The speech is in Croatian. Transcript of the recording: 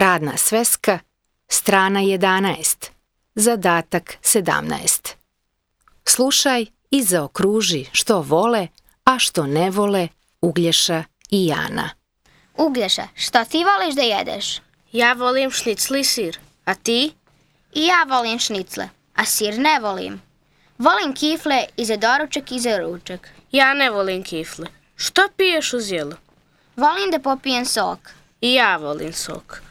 Radna sveska, strana 11, zadatak 17. Slušaj i zaokruži što vole, a što ne vole Uglješa i Jana. Uglješa, šta ti voliš da jedeš? Ja volim šnicli i sir. A ti? I ja volim šnicle, a sir ne volim. Volim kifle i za doručak i za ručak. Ja ne volim kifle. Što piješ uz jelo? Volim da popijem sok. I ja volim sok.